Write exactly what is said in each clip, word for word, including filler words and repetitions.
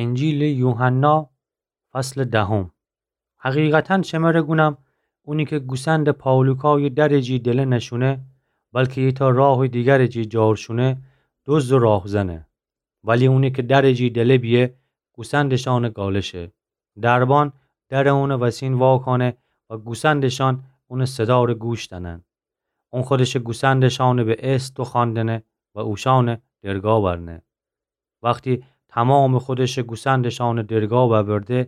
انجیلٚ یوحنا، فصلٚ دهم. حقیقتاً شمره گونم، اونی کی گوسندٚ پالوکایٚ درٚ جی دله نشونه، بلکی ایتأ راهٚ دیگرٚ جی جار شونه، دزد و راهزنه. ولی اونی کی درٚ جی دله بیه، گوسندٚ شأنٚ گالشه. دربان درٚ اونٚ وسین واکانه و گوسندٚ شأن اونٚ صدارٚ گوش دأنن. اون خودشٚ گوسندٚ شأنٚ به اسم دوخوأندنه و اوشأنٚ درگاه برنه. وختی تومامٚ خودشٚ گوسندٚ شأنٚ درگاه ببرده،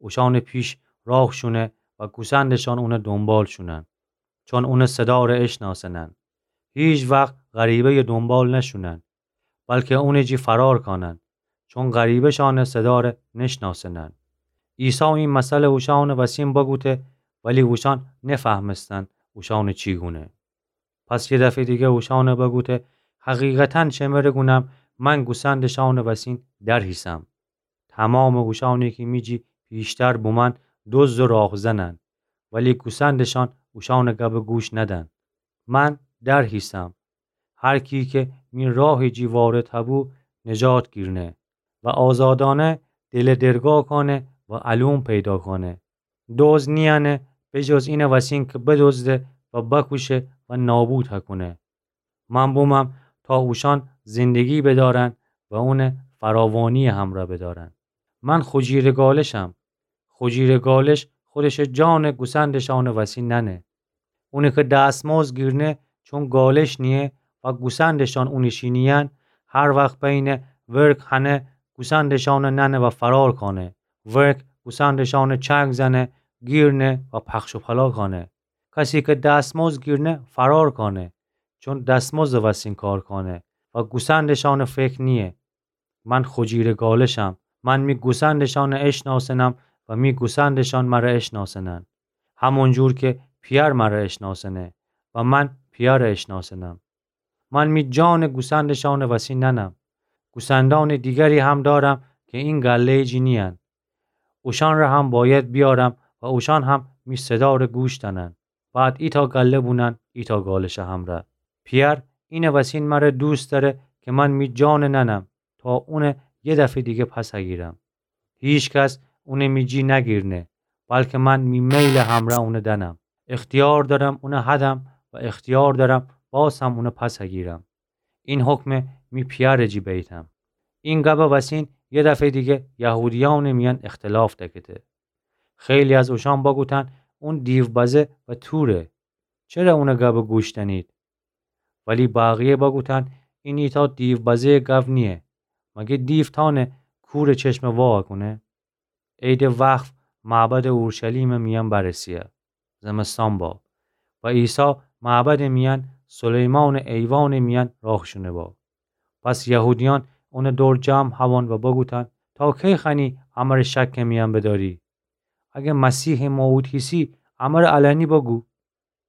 اوشأنٚ پیش راه شونه و گوسندٚ شأن اونٚ دونبال شونن. چون اونٚ صدارٚ اشناسنن. هیچ وخت غریبه‌یٚ دونبال نشونن، بلکی اونٚ جی فرار کانن، چون غریبه شأنٚ صدارٚ نشناسنن. عیسی این مثلٚ اوشأنٚ وسین بگوته، ولی اوشأن نفهمستن اوشأنٚ چی گونه. پس یه دفعه دیگه اوشأنٚ بگوته، حقیقتاً شمره گونم، من گوسندٚ شأنٚ وسین در هیسم. تومامٚ اوشأنی کی می جی پیشتر بومن، دزد و راهزنن، ولی گوسندٚ شأن اوشأنٚ گبٚ گوش ندن. من در هیسم. هر کی کی می راهٚ جی وارد هبو، نجات گیرنه و آزادأنه دله درگاه کانه و الوم پیدا کانه. دزد نیأنه به جز اینٚ وسین کی بدزده و بکوشه و نابود هکونه. من بومم تا اوشأن زندگی بدأرن و اونٚ فراوانی‌یٚ همرأ بدأرن. من خجیرٚ گالشم. خجیرٚ گالش خودشٚ جانٚ گوسندٚ شأنٚ وسین نأنه. اونی کی دستمزد گیرنه، چون گالش نییه و گوسندٚ شأن اونٚ شی نیین، هر وخت بینه ورگ هنه، گوسندٚ شأنٚ نأنه و فرار کانه. ورگ گوسندٚ شأنٚ چنگ زنه، گیرنه و پخش و پلا کانه. کسی کی دستمزد گیرنه، فرار کانه، چون دستمزدٚ وسین کار کانه و گوسندٚ شأنٚ فکر نییه. من خجیرٚ گالشم. من می گوسندٚ شأنٚ اشناسنم و می گوسندٚ شأن مره اشناسنن، همون جور کی پیأر مره اشناسنه و من پیأرٚ اشناسنم. من می جانٚ گوسندٚ شأنٚ وسین نأنم. گوسندأنٚ دیگری هم دأرم کی این گله‌یٚ جی نیین. اوشأن ره هم بأید بیأرم و اوشأن هم می صدارٚ گوش دأنن. بعد ایتأ گله بونن ایتأ گالشٚ همرأ. پیأر اینٚ وسین مره دوست دأره کی من می جانٚ نأنم تا اونٚ یه دفعه دیگه پس هگیرم. هیکس اونٚ می جی نگیرنه، بلکی من می میلٚ همرأ اونٚ دأنم. اختیار دأرم اونٚ هدم و اختیار دأرم باز هم اونٚ پس هگیرم. این حکمه می پیأرٚ جی بیتم. این گبٚ وسین یه دفعه دیگه یهودیأنٚ میأن اختلاف دکته. خیلی از اوشأن بگوتن، اون دیوبزه و توره. چره اونٚ گبٚ گوش دأنید؟ ولی بقیه بگوتن، این ایتأ دیوبزه‌یٚ گب نییه. مگه دیو تأنه کورٚ چشم وا کونه؟ عیدٚ وقف معبدٚ اورشلیمٚ میأن برسیه. زمستان با. و عیسی معبدٚ میأن، سلیمانٚ ایوانٚ میأن راه شونه با. پس یهودیأن اونٚ دور جمع هوان و بگوتن، تا کی خوأنی امره شکٚ میأن بدأری؟ اگر مسیحٚ موعود هیسی، امره علنی بگو.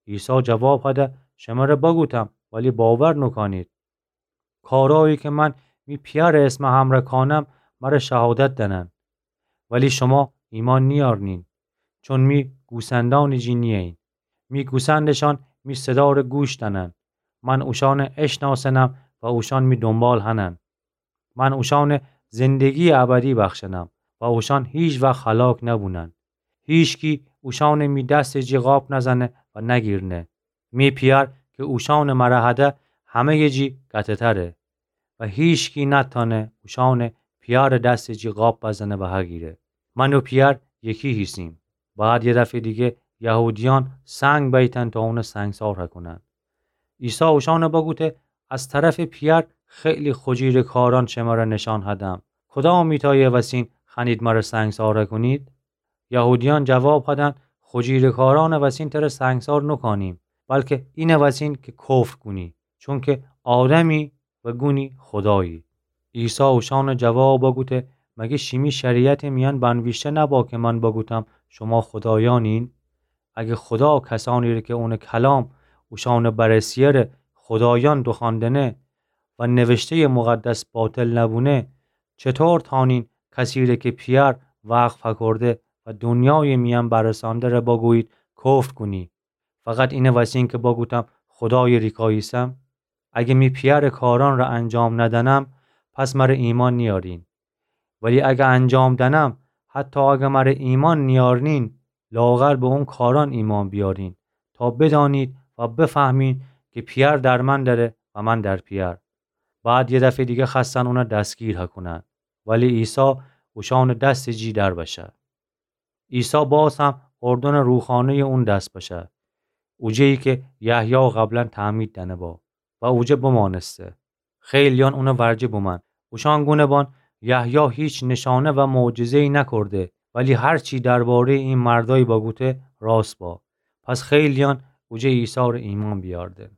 عیسی جواب هده، شمره بگوتم، ولی باور نوکانید. کارایی کی من می پیأرٚ اسمٚ همرأ کانم، مره شهادت دأنن. ولی شما ایمأن نیأرنین، چون می گوسندأنٚ جی نییین. می گوسندٚ شأن می صدارٚ گوش دأنن. من اوشأنٚ اشناسنم و اوشأن می دونبال هنن. من اوشأنٚ زندگییٚ ابدی بخشنم و اوشأن هیکوقت هلاک نبونن. هیچکی اوشأنٚ می دستٚ جی قاب نزنه و نگیرنه. می پیأر کی اوشأنٚ مره هده همه‌یٚ جی قطعه‌تره و هیچکی نتأنه اوشأنٚ پیأرٚ دستٚ جی قاب بزنه و هگیره. من و پیأر یکی هیسیم. بعد یه دفعه‌یٚ دیگه یهودیأن سنگ بیتن تا اونٚ سنگسار هکونن. عیسی اوشأنٚ بگوته، از طرفٚ پیأر خیلی خجیرٚ کارأن شمره نشأن هدم. کدام ایتأیٚ وسین خوأنید مره سنگسار هکونید؟ یهودیأن جواب هدن، خجیرٚ کارأنٚ وسین تره سنگسار نوکانیم، بلکی اینٚ وسین کی کفر کونی، چونکی آدمی و گونی خودایی. عیسی اوشأنٚ جواب بگوته، مگه شیمی شریعتٚ میأن بنویشته نبا کی من بگوتم، شما خودایأنین؟ اگر خودا کسأنیره کی اونٚ کلام اوشأنٚ بررسی‌یٚ ره خودایأن دوخوأندنه و نوشته‌یٚ مقدس باطل نبونه، چطور تأنین کسیره کی پیأر وقف هکورده و دونیایٚ میأن برسأنده ره بگویید کفر کونی؟ فقط اینٚ وسین کی بگوتم خودایٚ ریکاییسم؟ اگر می پیأرٚ کارأن ره انجام ندأنم، پس مره ایمأن نیأرین. ولی اگر انجام دنم، حتی اگر مره ایمأن نیأرنین، لااقل به اون کارأن ایمأن بیأرین، تا بدأنید و بفهمین کی پئر در من دأره و من در پئر. بعد یه دفعه دیگه خوأستن اونه دستگیر هکونن، ولی عیسی اوشأنٚ دستٚ جی در بشه. عیسی باز هم اردنٚ روخانه‌یٚ اون دس بشه، اوجه‌یی کی یحیی قبلا تعمید دأنه با و اوجه بمأنسته. خیلییأن اونٚ ورجه بومأن. اوشأن گونه بان، یحیی هیچ نشانه و معجزه‌یی نکرده، ولی هر چی درباره‌یٚ ای مردأیی بگوته راست با. پس خیلییأن اوجه عیسی ره ایمأن بیأرده.